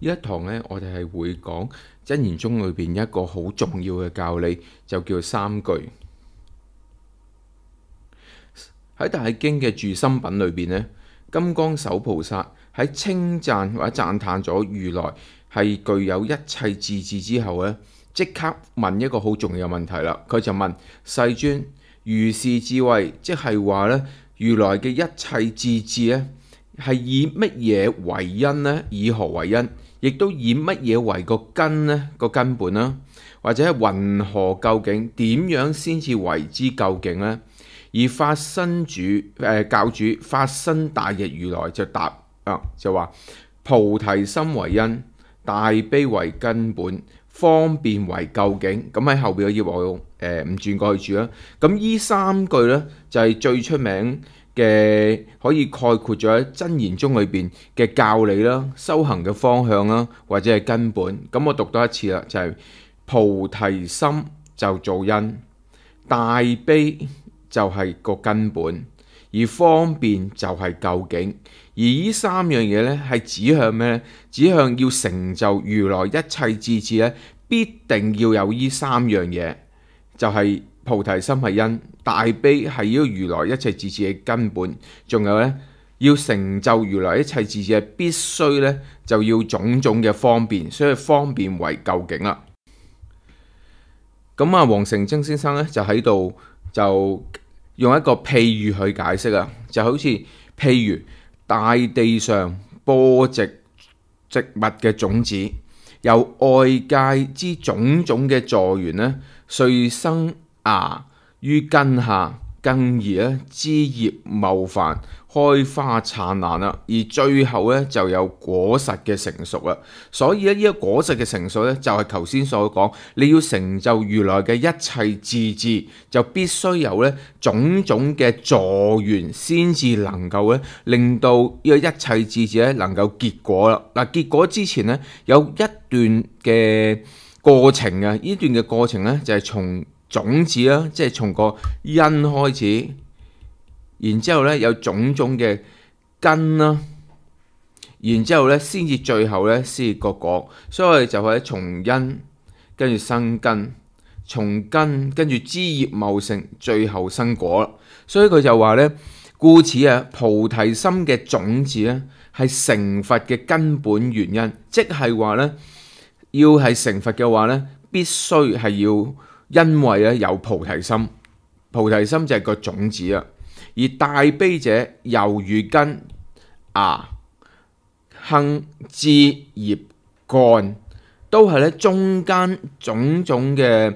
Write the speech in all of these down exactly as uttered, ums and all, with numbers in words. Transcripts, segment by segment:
呢一堂呢，我哋係會講真言宗裏邊一個好重要嘅教理，就叫三句。喺大經嘅住心品裏邊呢，金剛手菩薩喺稱讚或者讚歎咗如來係具有一切智智之後呢，即刻問一個好重要嘅問題啦。佢就問世尊，如是智慧，即係話呢，如來嘅一切智智呢，係以乜嘢為因呢？以何為因？亦都以乜嘢為個根呢？個根本啦，或者係云何究竟？點樣先至為之究竟呢？而法身主誒、呃、教主法身大日如來就答啊，就話菩提心為因，大悲為根本，方便為究竟。咁喺後邊嘅頁我誒唔轉過去住啦。咁呢三句呢，就係、是、最出名嘅，可以概括咗喺真言宗裏邊嘅教理啦、修行嘅方向啦，或者係根本。咁我讀多一次啦，就係、是、菩提心就做因，大悲就係個根本，而方便就係究竟。而呢三樣嘢呢，係指向咩呢？指向要成就如來一切智智呢，必定要有呢三樣嘢，就係、是、菩提心係因，大悲係呢個如來一切智智嘅根本，仲有呢，要成就如來一切智智，必須呢，就要種種嘅方便，所以方便為究竟啦。咁啊，黃成貞先生呢，就喺度就用一個譬喻去解釋啊，就好似譬如大地上播植植物嘅種子，由外界之種種嘅助緣呢，遂生芽於根下，更而咧枝葉茂繁，開花燦爛啦，而最後咧就有果實嘅成熟啦。所以咧呢個果實嘅成熟咧，就係頭先所講，你要成就如來嘅一切智智，就必須有咧種種嘅助緣，先至能夠咧令到呢個一切智智咧能夠結果啦。嗱，結果之前咧有一段嘅過程啊，呢段嘅過程咧就係從種子啦，即係從個因開始，然之後咧有種種嘅根啦，然之後咧先至最後咧先至個果，所以我哋就係從因跟住生根，從根跟住枝葉茂盛，最後生果。所以佢就話咧，故此啊，菩提心嘅種子咧係成佛嘅根本原因，即係話咧要係成佛嘅話咧，必須係要。因為咧有菩提心，菩提心就係個種子啊。而大悲者猶如根芽、莖、枝、葉、幹，都係咧中間種種嘅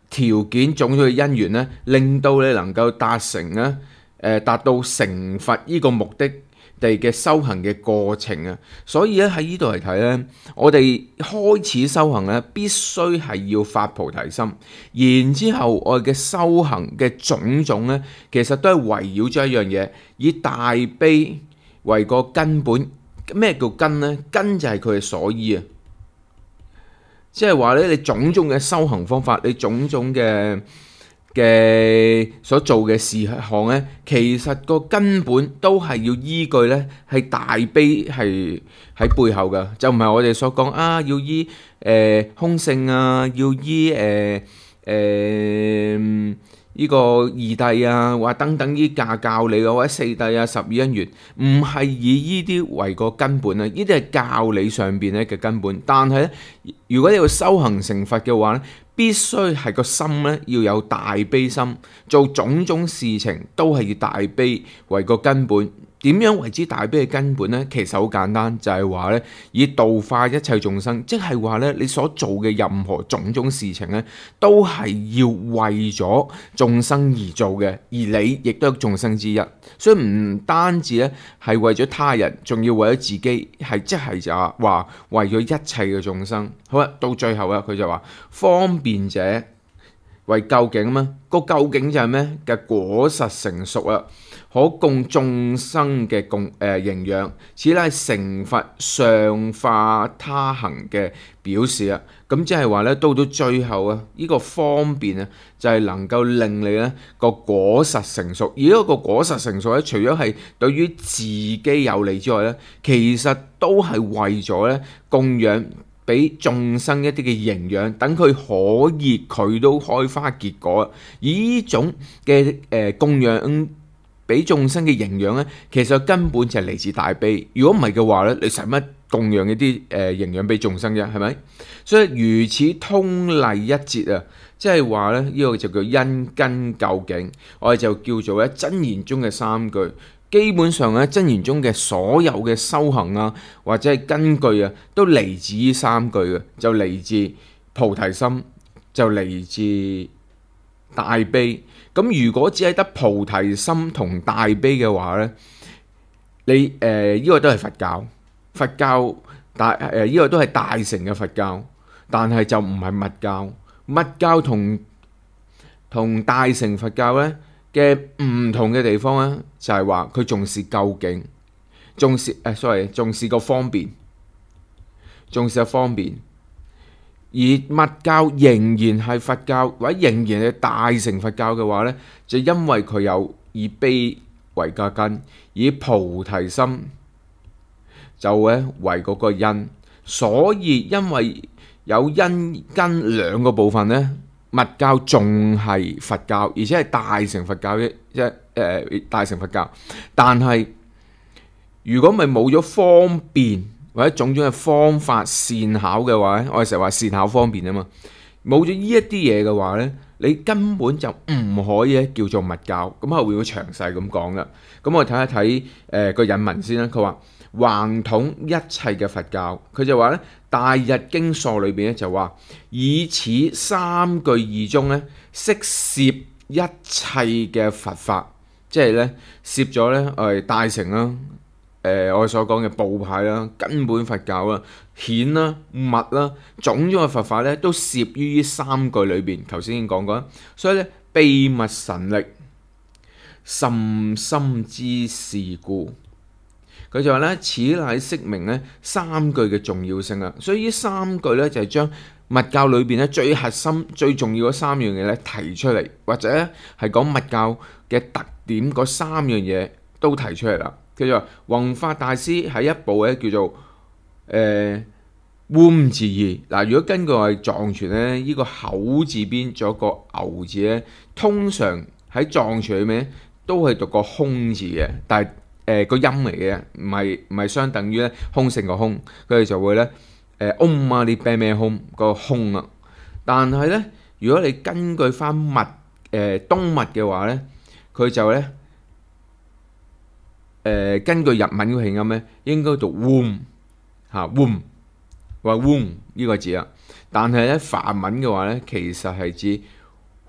條件、種種嘅因緣咧，令到你能夠達成咧，誒、呃、達到成佛呢個目的地嘅修行嘅過程啊。所以咧喺呢度嚟睇咧，我哋開始修行咧，必須係要發菩提心，然之後我哋嘅修行嘅種種咧，其實都係圍繞咗一樣嘢，以大悲為個根本。咩叫根呢？根就係佢嘅所依啊，即係話咧，你種種嘅修行方法，你種種嘅嘅所做嘅事項咧，其實個根本都係要依據咧，係大悲係喺背後嘅，就唔係我哋所講啊，要依誒、呃、空性啊，要依誒誒呢個二諦啊，或等等依教教理啊，或者四諦啊、十二因緣，唔係以依啲為個根本啊，呢啲係教理上邊咧嘅根本。但係咧，如果你要修行成佛嘅話咧，必須係個心咧要有大悲心，做種種事情都係以大悲為個根本。點樣為之大悲嘅根本呢？其實好簡單，就係話咧，以度化一切眾生，即係話咧，你所做嘅任何種種事情咧，都係要為咗眾生而做嘅，而你亦都係眾生之一。所以唔單止咧係為咗他人，仲要為咗自己，係即係就話為咗一切嘅眾生。好啦，到最後啊，佢就話方便者為究竟啊嘛，個究竟就係咩嘅果實成熟啊，可供眾生嘅供誒、呃、營養，此乃成佛上化他行嘅表示啊。咁即係話咧，到到最後啊，呢、這個方便啊，就係、是、能夠令你咧個果實成熟。而呢個果實成熟咧，除咗係對於自己有利之外咧，其實都係為咗咧供養俾眾生一啲嘅營養，等佢可以佢都開花結果。而呢種嘅誒、呃、供養俾眾生嘅營養咧，其實根本就係嚟自大悲。如果唔係嘅話咧，你使乜供養一啲誒、呃、營養俾眾生啫？係咪？所以如此通例一節啊，即係話咧，呢、這個就叫因根究竟，我哋就叫做咧真言中嘅三句。基本上咧，真言中嘅所有嘅修行啊，或者係根據啊，都嚟自呢三句嘅，就嚟自菩提心，就嚟自大悲。咁如果只係得菩提心同大悲嘅話咧，你誒呢、呃這個都係佛教，佛教大誒呢、呃這個都係大乘嘅佛教，但係就唔係密教。密教同同大乘佛教咧嘅唔同嘅地方咧，就係話佢重視究竟，重視誒、呃、sorry 重視個方便，重視個方便。而密教仍然係佛教，或者仍然係大乘佛教嘅話呢，就因為佢有以悲為個根，以菩提心就咧為嗰個因，所以因為有因根兩個部分呢，密教仲係佛教，而且係大乘佛教嘅一誒大乘佛教。但係如果咪冇咗方便，或者種種嘅方法善巧嘅話咧，我哋成日話善巧方便啊嘛，冇咗呢一啲嘢嘅話咧，你根本就唔可以叫做密教。咁後面會詳細咁講噶。咁我哋睇一睇誒個引文先啦。佢話橫統一切嘅佛教，佢就話咧《大日經疏》裏邊咧就話以此三句義中咧，悉攝一切嘅佛法，即係咧攝咗咧誒大乘啦。誒、呃，我所講嘅部派啦、根本佛教啦、顯啦、密啦，種種嘅佛法咧，都攝於呢三句裏邊。頭先已經講過，所以咧秘密神力甚深之事故，佢就話咧，此乃釋明咧三句嘅重要性啊。所以呢三句咧就係將密教裏邊咧最核心、最重要嗰三樣嘢咧提出嚟，或者咧係講密教嘅特點嗰三樣嘢都提出嚟啦。叫做弘法大師喺一部咧叫做誒塢字義嗱，如果根據我哋藏傳咧，呢、這個口字邊仲有個牛字咧，通常喺藏傳裏面都係讀個空字嘅，但係誒個音嚟嘅，唔係唔係相等於咧空性個空，佢哋就會咧誒 Om Mani Padme Hum 個空啊。但係咧，如果你根據翻密誒、呃、東密嘅話咧，佢就咧。誒、呃、根據日文嘅拼音咧，應該讀 womb 嚇 womb 話 womb 呢個字啊。但係咧梵文嘅話咧，其實係指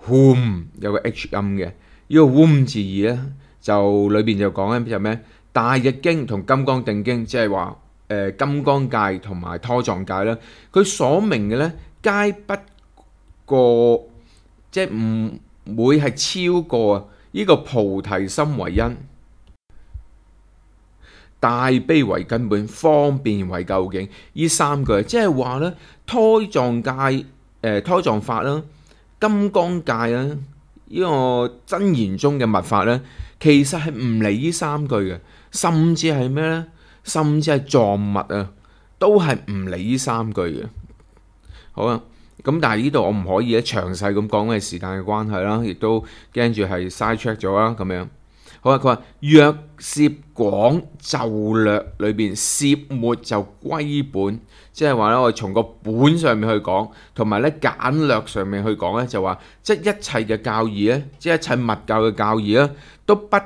whom 有個 h 音嘅。呢、這個 womb 字義咧，就裏邊就講緊就咩？大日經同金剛定經，即係話誒金剛界同埋拖藏界啦。佢所明嘅咧，皆不過即係唔會係超過呢個菩提心為因。大悲為根本，方便為究竟，呢三句即係話咧，胎藏界、誒、呃、胎藏法啦、金剛界啦，呢、這個真言中嘅密法咧，其實係唔理呢三句嘅，甚至係咩咧？甚至係藏密啊，都係唔理呢三句嘅。好啊，咁但係呢度我唔可以咧詳細咁講，因為時間嘅關係啦，亦都驚住係 side track 咗啦，咁樣。好啊！佢話若攝廣就略裏邊攝末就歸本，即係話咧，我哋從個本上面去講，同埋咧簡略上面去講咧，就話即係一切嘅教義咧，即係一切密教嘅教義咧，都不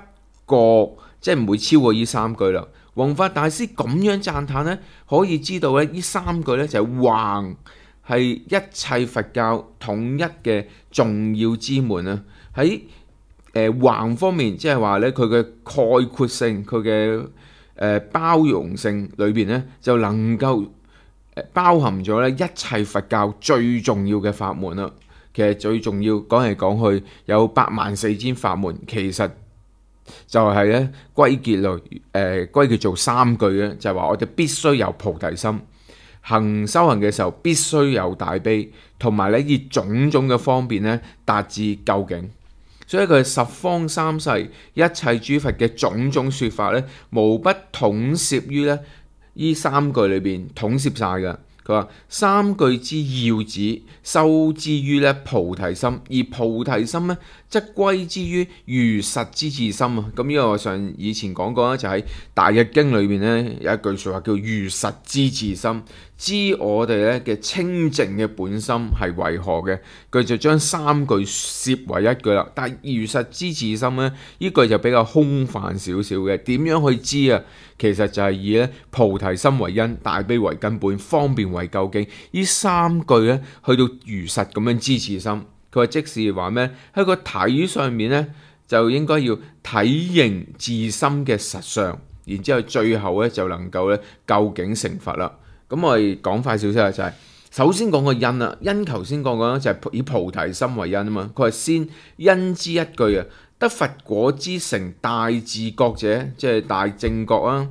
過即係唔會超過呢三句啦。弘法大師咁樣讚歎咧，可以知道咧，呢三句咧就係橫係一切佛教統一嘅重要之門啊！喺誒橫方面，即係話咧，佢嘅概括性、佢嘅誒包容性裏邊咧，就能夠誒包含咗咧一切佛教最重要嘅法門啦。其實最重要講嚟講去有八萬四千法門，其實就係咧歸結類誒歸結做三句咧，就係話我哋必須有菩提心，行修行嘅時候必須有大悲，同埋咧以種種嘅方便咧達至究竟。所以佢十方三世一切諸佛嘅種種説法咧，無不統攝於咧呢三句裏邊，統攝晒㗎。佢話三句之要旨，修之於咧菩提心，而菩提心咧則歸之於如實之自心啊！咁呢個我上以前講過啦，就喺《大日經》裏邊咧有一句説話叫如實之自心，知我哋咧嘅清淨嘅本心係為何嘅，佢就將三句攝為一句啦。但係如實之自心咧，呢句就比較空泛少少嘅。點樣去知啊？其實就係以咧菩提心為因，大悲為根本，方便為究竟。呢三句咧去到如實咁樣知自心。佢話即是話咩？喺個體上面咧就應該要體認自心嘅實相，然之後最後咧就能夠咧究竟成佛啦。咁我哋講快少少啊，就係首先講個因啦。因頭先講講就係以菩提心為因啊嘛。佢係先因之一句啊，得佛果之成大自覺者，即係大正覺啊。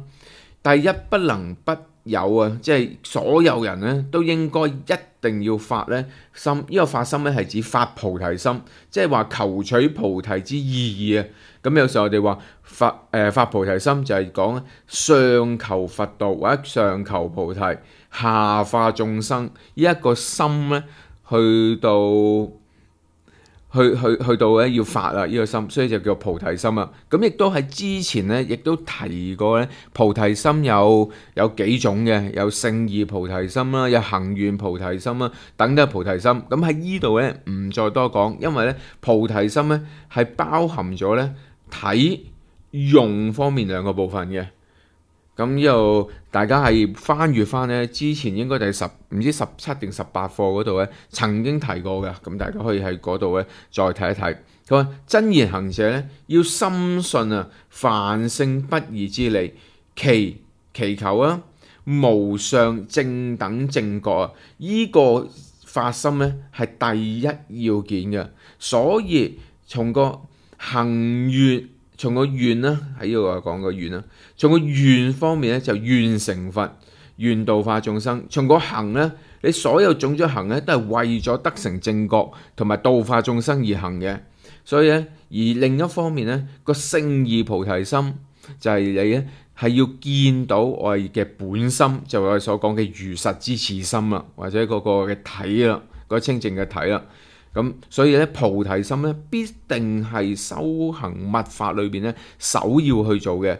第一不能不有啊，即係所有人咧都應該一定要發咧心。呢、這個發心咧係指發菩提心，即係話求取菩提之意義啊。咁有時候我哋話發誒、呃、發菩提心就係講上求佛道或者上求菩提，下化眾生。呢、這、一個心咧去到去去去到咧要發啊呢個心，所以就叫菩提心啊。咁亦都喺之前咧，亦都提過咧，菩提心有有幾種嘅，有勝義菩提心啦，有行願菩提心啦，等等菩提心。咁喺呢度咧唔再多講，因為咧菩提心咧係包含咗咧體用方面兩個部分嘅。咁呢度大家係翻閱翻咧，之前應該第十唔知十七定十八課嗰度咧曾經提過嘅，咁大家可以喺嗰度咧再睇一睇。佢話真言行者咧要深信啊凡聖不二之理，祈祈求啊無上正等正覺啊，依、這個發心咧係第一要件嘅。所以從個行願。從個願啦，喺呢度講個願啦。從個願方面咧，就願成佛，願度化眾生。從個行咧，你所有種種行咧，都係為咗得成正覺同埋度化眾生而行嘅。所以咧，而另一方面咧，個勝義菩提心就係你咧係要見到我哋嘅本心，就係我哋所講嘅如實之自心啦，或者嗰個嘅體啦，嗰個清淨嘅體啦。咁所以咧，菩提心咧必定係修行密法裏邊咧首要去做嘅。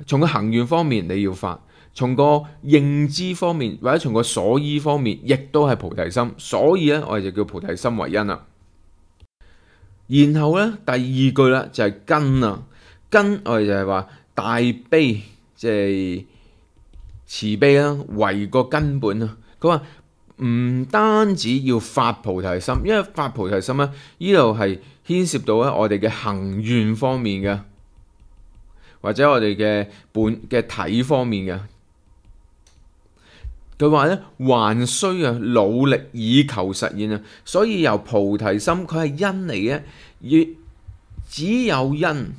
從個行願方面你要發，從個認知方面或者從個所依方面，亦都係菩提心。所以咧，我哋就叫菩提心為因啦。然後咧，第二句啦就係根啊，根我哋就係話大悲，即係慈悲啦，為個根本啊。佢話。唔單止要發菩提心，因為發菩提心咧，呢度係牽涉到咧我哋嘅行願方面嘅，或者我哋嘅本嘅體方面嘅。佢話咧，還需啊努力以求實現啊，所以由菩提心佢係因嚟嘅，而只有因。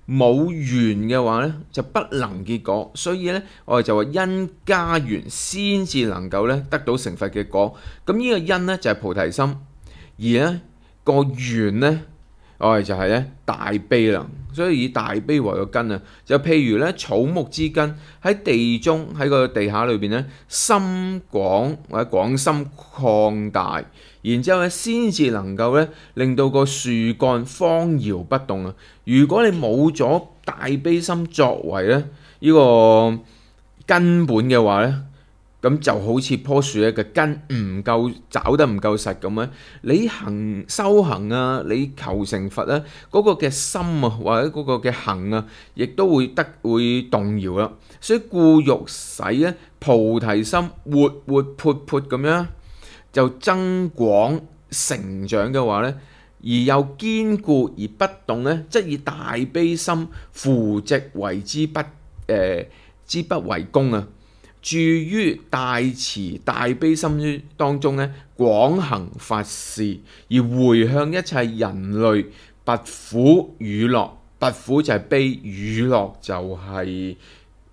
冇緣嘅話咧，就不能結果，所以咧，我哋就話因加緣先至能夠咧得到成佛嘅果。咁呢個因咧就係菩提心，而咧個緣咧，我哋就係咧大悲啦。所以以大悲為個根啊，就譬如咧草木之根喺地中喺個地下裏邊咧深廣或者廣深擴大，然之後咧先至能夠咧令到個樹幹荒搖不動啊！如果你冇咗大悲心作為咧呢個根本嘅話咧，咁就好似棵樹咧嘅根唔夠找得唔夠實咁樣，你行修行啊，你求成佛咧，嗰個嘅心啊或者嗰個嘅行啊，亦都會得會動搖啦。所以故欲使咧菩提心活活潑潑咁樣就增廣成長嘅話咧，而又堅固而不動咧，則以大悲心扶植為之不誒、呃、之不為功啊！住於大慈大悲心當中咧，廣行法事，而回向一切人類拔苦與樂，拔苦就係悲，娛樂就係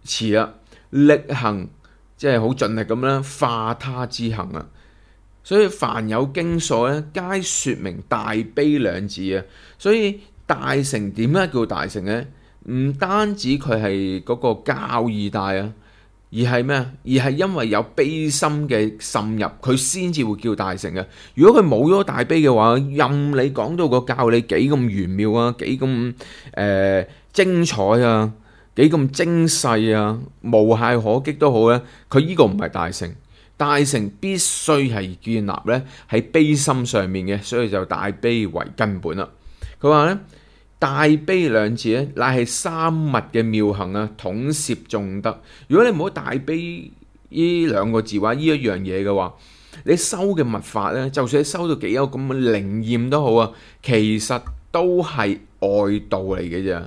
慈啦。力行即係好盡力咁啦，化他之行啊。所以凡有經所咧，皆説明大悲兩字啊。所以大乘點解叫大乘呢？唔單止佢係嗰個教義大啊，而係咩啊？而係因為有悲心嘅滲入，佢先至會叫大乘嘅。如果佢冇咗大悲嘅話，任你講到個教理幾咁玄妙啊，幾咁誒精彩啊，幾咁精細啊，無懈可擊都好咧，佢呢個唔係大乘。大乘必須係建立咧喺悲心上面嘅，所以就大悲為根本啦。佢話咧，大悲兩字咧，乃係三密嘅妙行啊，統攝眾德。如果你冇大悲呢兩個字話呢一樣嘢嘅話，你修嘅密法咧，就算你修到幾有咁嘅靈驗都好啊，其實都係外道嚟嘅啫。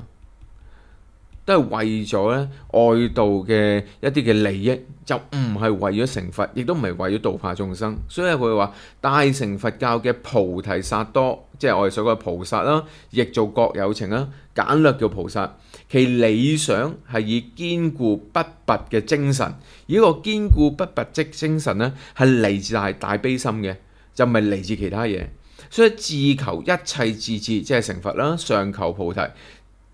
都係為咗咧外道嘅一啲嘅利益，就唔係為咗成佛，亦都唔係為咗度化眾生。所以佢話大乘佛教嘅菩提薩埵，即係我哋所講嘅菩薩啦，亦做各有情啦，簡略叫菩薩。其理想係以堅固不拔嘅精神，而呢個堅固不拔的精神咧，係嚟自大大悲心嘅，就唔係嚟自其他嘢。所以自求一切智智，即係成佛啦，上求菩提。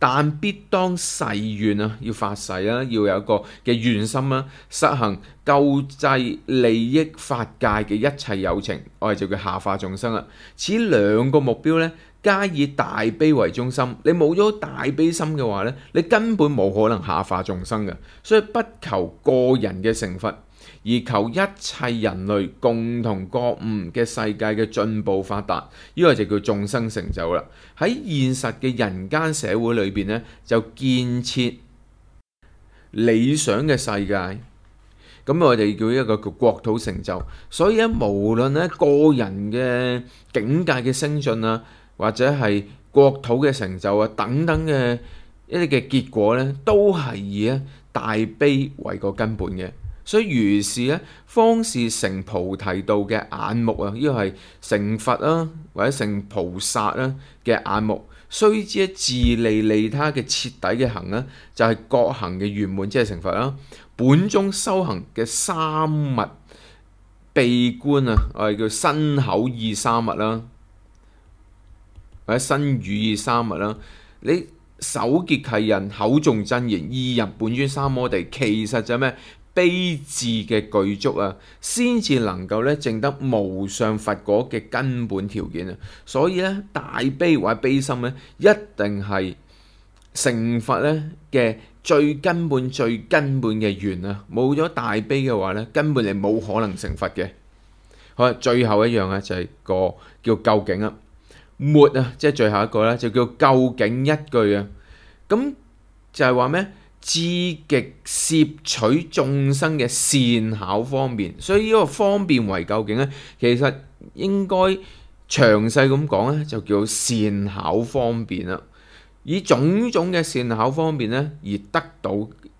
但必當誓願啊，要發誓啦，要有一個嘅願心啦，實行救濟利益法界嘅一切有情，我哋就叫下化眾生啦。此兩個目標咧，皆以大悲為中心。你冇咗大悲心嘅話咧，你根本冇可能下化眾生嘅。所以不求個人嘅成佛，而求一切人類共同覺悟嘅世界嘅進步發達，呢個就叫眾生成就啦。喺現實嘅人間社會裏邊咧，就建設理想嘅世界，咁我哋叫一個叫國土成就。所以咧，無論咧個人嘅境界嘅升進啊，或者係國土嘅成就啊等等嘅一啲嘅結果咧，都係以咧大悲為個根本嘅。所以如是咧，方是成菩提道嘅眼目啊！呢個係成佛啊，或者成菩薩啦嘅眼目。須知自利利他嘅徹底嘅行咧，就係覺行嘅圓滿，即係成佛啦。本宗修行嘅三密閉觀啊，我哋叫身口意三密啦，或者身語意三密啦。你手結契印，口誦真言，意入本尊三摩地，其實就係咩？悲智嘅具足啊，先至能夠咧證得無上佛果嘅根本條件啊。所以咧，大悲或者悲心咧，一定係成佛咧嘅最根本、最根本嘅緣啊。冇咗大悲嘅話咧，根本你冇可能成佛嘅。好啦，最後一樣咧就係個叫究竟啊，末啊，即係最後一個咧就叫究竟一句啊。咁就係話咩？至極攝取眾生嘅善巧方便，所以呢個方便為究竟咧，其實應該詳細咁講咧，就叫善巧方便啦。以種種嘅善巧方便咧而得到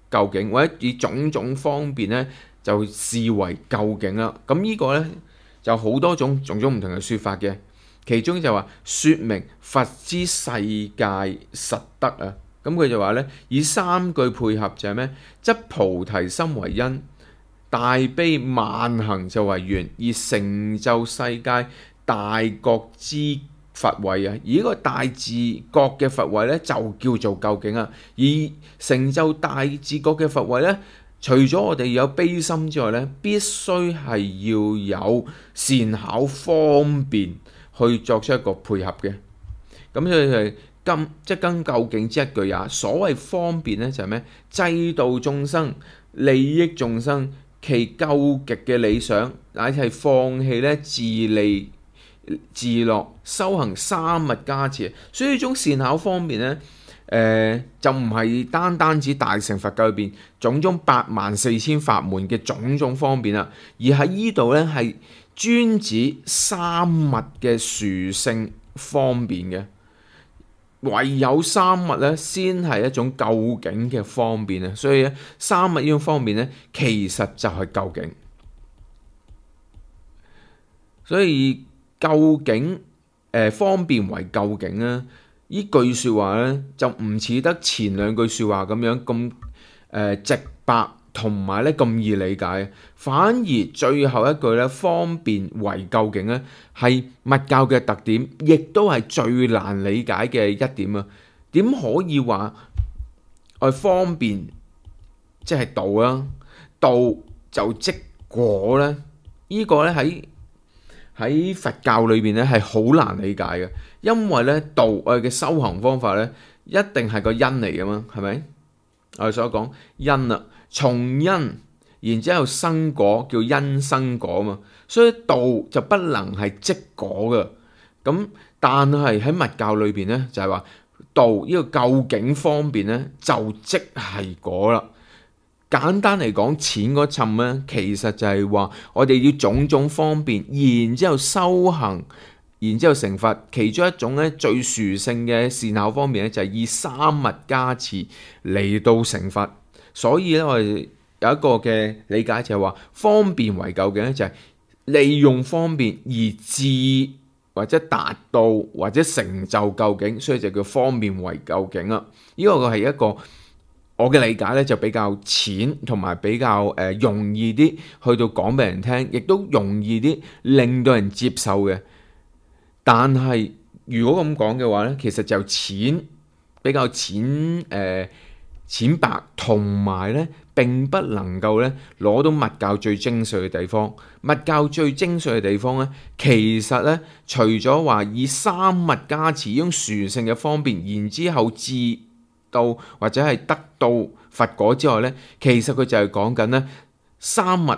究竟，或者以種種方便咧就視為究竟啦。咁呢個咧就好多種種種唔同嘅説法嘅，其中就話説明佛之世界實德啊。咁佢就話咧，以三句配合就係咩？則菩提心為因，大悲萬行就為緣，而成就世界大覺之佛位啊！而呢個大自覺嘅佛位咧，就叫做究竟啊！而成就大自覺嘅佛位咧，除咗我哋有悲心之外咧，必須係要有善巧方便去作出一個配合嘅。咁所以係。今即更究竟之一句也。所謂方便咧，就係咩？濟度眾生、利益眾生，其究極嘅理想，乃係放棄咧自利自樂，修行三密加持。所以呢種善巧方便咧，誒、呃、就唔係單單指大乘佛教裏邊種種八萬四千法門嘅種種方便啦，而喺呢度咧係專指三密嘅殊勝方便嘅。唯有三密咧，先係一種究竟嘅方便啊！所以咧，三密呢種方便咧，其實就係究竟。所以究竟誒、呃、方便為究竟啊！呢句説話咧就唔似得前兩句説話咁樣咁誒、呃、直白，同埋咧咁易理解，反而最後一句咧方便為究竟咧係密教嘅特點，亦都係最難理解嘅一點啊！點可以話我方便即係道啊？道就即果咧？呢個咧喺喺佛教裏邊咧係好難理解嘅，因為咧道我哋嘅修行方法咧一定係個因嚟噶嘛，係咪？我哋所講因啦，從因然之後生果叫因生果嘛，所以道就不能係即果嘅。咁但係喺密教裏邊咧就係話道呢個究竟方便咧就即係果啦。簡單嚟講，淺嗰層咧，其實就係話我哋要種種方便，然之後修行，然之後成佛。其中一種咧最殊勝嘅善巧方面咧，就係以三密加持嚟到成佛。所以咧，我哋有一個嘅理解就係話，方便為究竟咧，就係利用方便而至或者達到或者成就究竟，所以就叫方便為究竟啦。呢個係一個我嘅理解咧就比較淺，同埋比較誒、呃、容易啲去到講俾人聽，亦都容易啲令到人接受嘅。但係如果咁講嘅話咧，其實就淺比較淺誒、呃、淺白，同埋咧並不能夠咧攞到密教最精髓嘅地方。密教最精髓嘅地方咧，其實咧除咗話以三密加持呢種殊勝嘅方便，然之後至到或者係得到佛果之外咧，其實佢就係講緊咧三密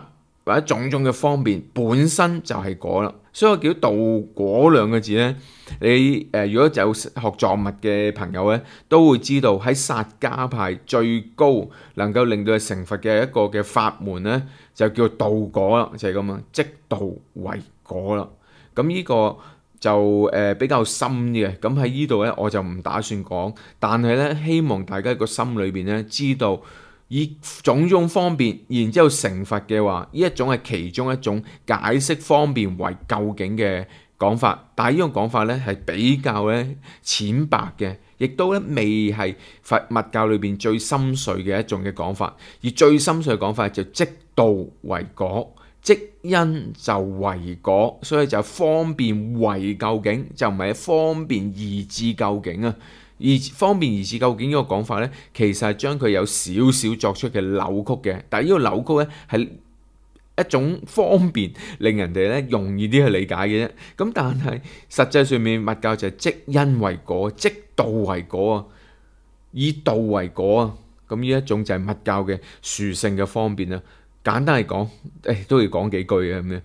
或者種種嘅方便本身就係果啦。所以我叫道果兩個字咧，你誒、呃、如果有學藏密嘅朋友咧，都會知道喺薩迦派最高能夠令到佢成佛嘅一個嘅法門咧，就叫道果啦，就係咁啊，即道為果啦。咁呢個就誒、呃、比較深啲嘅，咁喺呢度咧我就唔打算講，但係咧希望大家個心裏邊咧知道，以種種方便，然之後成佛嘅話，呢一種係其中一種解釋方便為究竟嘅講法，但係呢種講法咧係比較咧淺白嘅，亦都咧未係佛密教裏邊最深邃嘅一種嘅講法，而最深邃嘅講法就即道為果。即因就為果，所以就方便為究竟，就唔係方便而至究竟啊！而方便而至究竟呢個講法咧，其實係將佢有少少作出嘅扭曲嘅。但係呢個扭曲咧係一種方便，令人哋咧容易啲去理解嘅啫。咁但係實際上面密教就係即因為果，即道為果啊，以道為果啊。咁呢一種就係密教嘅殊勝嘅方便啊。簡單嚟講，誒都要講幾句嘅咁樣。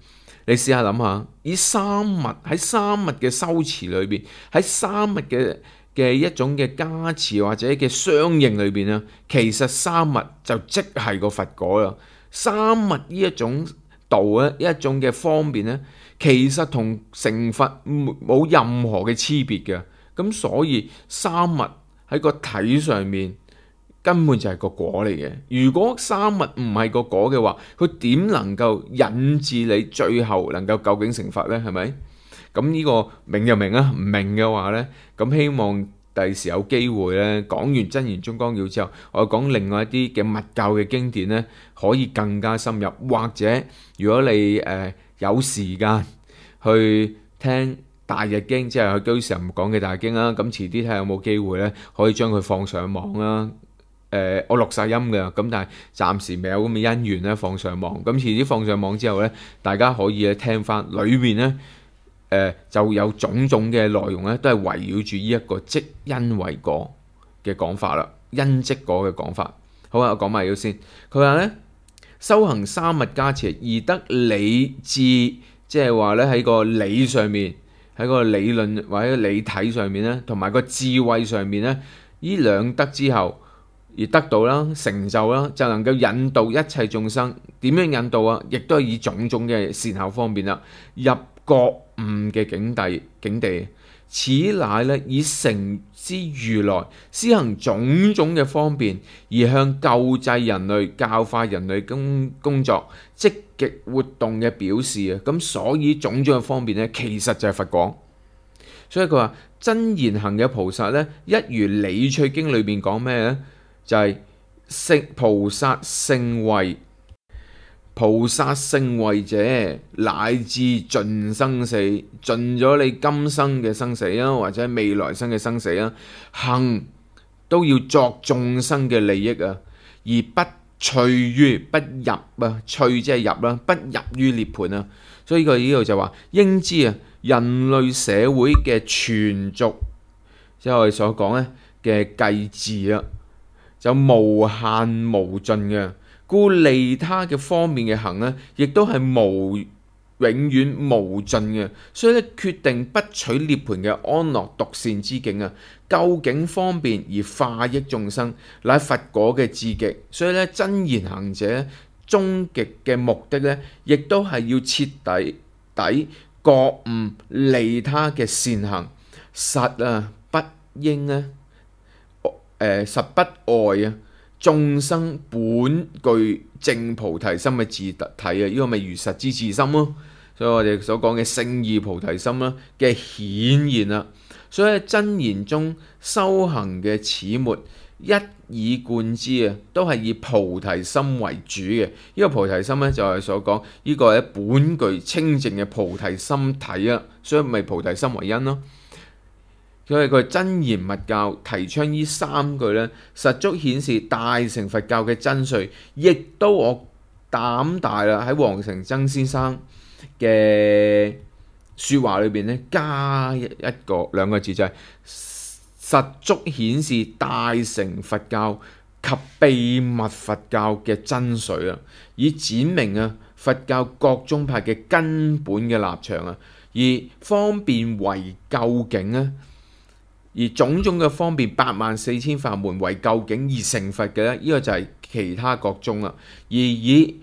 你試下諗下，以三密喺三密嘅修持裏邊，喺三密嘅嘅一種嘅加持或者嘅相應裏邊咧，其實三密就即係個佛果啦。三密呢一種道咧，一種嘅方便咧，其實同成佛冇任何嘅差別嘅。咁所以三密喺個體上面，根本就係個果嚟嘅。如果三密唔係個果嘅話，佢點能夠引致你最後能夠究竟成佛呢？係咪？咁呢個明就明啦，唔明嘅話呢，咁希望第時有機會呢，講完真言中綱要之後，我講另外一啲嘅密教嘅經典呢，可以更加深入。或者如果你誒、呃、有時間去聽大日經，即係佢居士唔講嘅大日經啦，咁遲啲睇下有冇機會呢，可以將佢放上網啦。誒、呃，我錄晒音嘅，咁但係暫時未有咁嘅因緣咧放上網。咁遲啲放上網之後咧，大家可以咧聽翻裏面咧，誒、呃、就有種種嘅內容咧，都係圍繞住呢一個即因為果嘅講法啦，因即果嘅講法。好啊，我講埋咗先。佢話咧，修行三密加持而得理智，即係話咧喺個理上面，喺個理論或者理體上面咧，同埋個智慧上面咧，呢兩得之後，而得到啦，成就啦，就能夠引導一切眾生。點樣引導啊？亦都係以種種嘅善巧方便啦，入覺悟嘅境地境地。此乃咧以成之如來施行種種嘅方便，而向救濟人類、教化人類工工作積極活動嘅表示啊。咁所以種種嘅方便咧，其實就係佛果。所以佢話真言行嘅菩薩呢，一如理趣經裏邊講咩呢？就係、是、聖菩薩聖慧。菩薩聖慧者，乃至盡生死，盡咗你今生嘅生死啊，或者未來生嘅生死啊，行都要作眾生嘅利益啊，而不趣於不入啊，趣即係入啦，不入於涅槃啊。所以佢呢度就話，應知啊，人類社會嘅存續，即係我哋所講咧嘅計治啊，就無限無盡嘅。故利他嘅方面嘅行呢，亦都係無永遠無盡嘅。所以咧，決定不取涅槃嘅安樂獨善之境啊，究竟方便而化益眾生，乃佛果嘅至極。所以咧，真言行者終極嘅目的咧，亦都係要徹底底覺悟利他嘅善行，實啊不應啊，誒、呃、實不外啊。眾生本具正菩提心嘅自體啊，呢個咪如實之自心咯。所以我哋所講嘅聖義菩提心啦嘅顯現啦。所以喺真言中修行嘅始末一以貫之啊，都係以菩提心為主嘅。呢、這個菩提心咧就係所講呢個係本具清淨嘅菩提心體啊，所以咪菩提心為因咯。所以佢真言密教提倡呢三句咧，實足顯示大乘佛教嘅真髓，亦都我膽大啦喺黃成曾先生嘅説話裏邊咧，加一個兩個字就係、是、實足顯示大乘佛教及秘密佛教嘅真髓啊，以展明啊佛教各宗派嘅根本嘅立場啊，而方便為究竟啊。而種種嘅方便，八萬四千法門為究竟而成佛嘅咧，呢、這個就係其他各宗啦。而以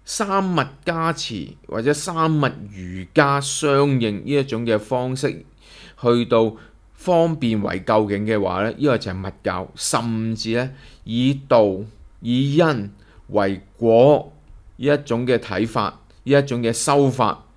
三密加持或者三密瑜伽相應呢一種嘅方式，去到方便為究竟嘅話咧，呢、這個就係密教，甚至咧以道以因為果呢一種嘅睇法，呢一種嘅修法。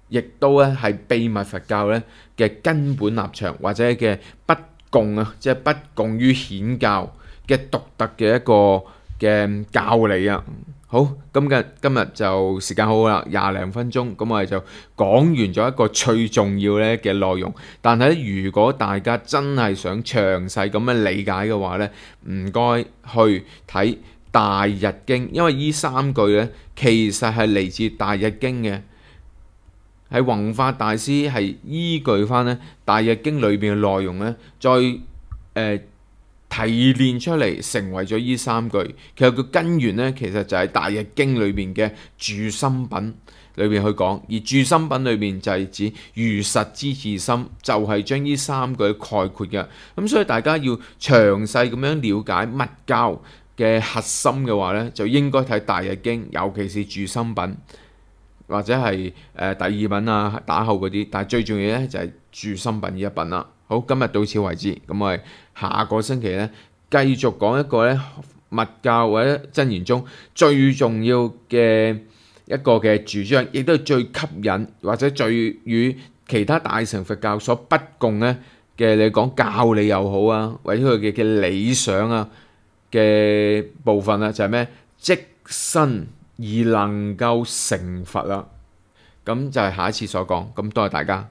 亦都咧係秘密佛教咧嘅根本立場，或者嘅不共啊，即係不共於顯教嘅獨特嘅一個嘅教理啊。好，今日今日就時間好好啦，廿零分鐘，咁我哋就講完咗一個最重要咧嘅內容。但係如果大家真係想詳細咁樣理解嘅話咧，唔該去睇《大日經》，因為呢三句咧其實係嚟自《大日經》嘅。係弘法大師係依據翻咧《大日經》裏邊嘅內容咧，再誒、呃、提煉出嚟，成為咗依三句。其實個根源咧，其實就係《大日經》裏邊嘅住心品裏邊去講，而住心品裏邊就係指如實之自心，就係、是、將呢三句概括嘅。咁所以大家要詳細咁樣了解密教嘅核心嘅話咧，就應該睇《大日經》，尤其是住心品。或者係誒、呃、第二品啊，打後嗰啲，但係最重要咧就係、是、住心品呢一品啦。好，今日到此為止，咁我哋下個星期咧繼續講一個咧密教或者真言中最重要嘅一個嘅主張，亦都係最吸引或者最與其他大乘佛教所不共咧嘅，你講教理又好啊，或者佢嘅嘅理想啊嘅部分啊，就係、是、咩？即身而能夠成佛啦，咁就係下一次所講，咁多謝大家。